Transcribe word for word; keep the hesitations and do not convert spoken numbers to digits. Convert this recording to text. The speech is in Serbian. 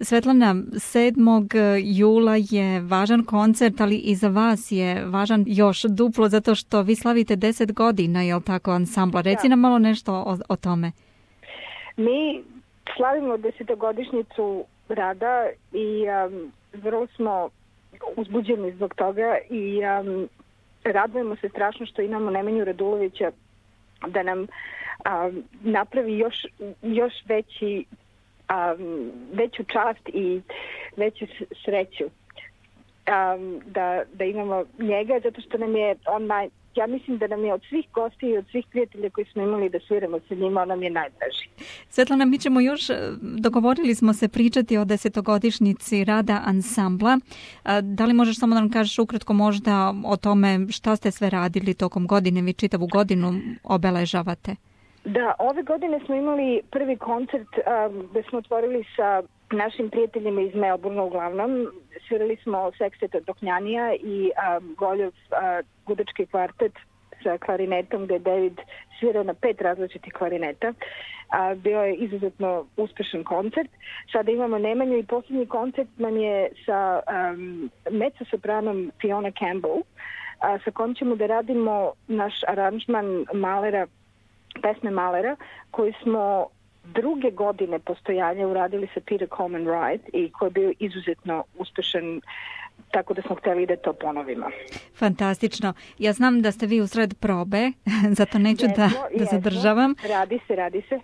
Svetlana, sedmog jula je važan koncert, ali i za vas je važan još duplo zato što vi slavite deset godina, je li tako, ansambla? Reci nam malo nešto o, o tome. Mi slavimo desetogodišnjicu rada i um, vrlo smo uzbuđeni zbog toga i um, radujemo se strašno što imamo Nemanju Radulovića da nam um, napravi još, još veći, um, veću čast i veću sreću. Um, da, da imamo njega, zato što nam je on naj, ja mislim da nam je od svih gosti i od svih prijatelja koji smo imali da sviramo sa njima, on nam je najdraži. Svetlana, mi ćemo još, dogovorili smo se pričati o desetogodišnjici rada ansambla. Da li možeš samo da nam kažeš ukratko možda o tome šta ste sve radili tokom godine, vi čitavu godinu obeležavate? Da, ove godine smo imali prvi koncert um, gde smo otvorili sa našim prijateljima iz Melbourne uglavnom. Svirali smo Sextet Doknjanija i um, Goljov uh, gudački kvartet sa klarinetom gde je David svirao na pet različitih klarineta. Uh, bio je izuzetno uspešan koncert. Sada imamo Nemanju i posljednji koncert nam je sa um, mezzosopranom Fiona Campbell, uh, sa kojom ćemo da radimo naš aranžman Mahlera, pesme Mahlera, koji smo druge godine postojanja uradili sa Peter Coleman Wright i koji je bio izuzetno uspešan, tako da smo hteli da to ponovimo. Fantastično. Ja znam da ste vi usred probe, zato neću jesmo, da, da zadržavam. Radi se, radi se.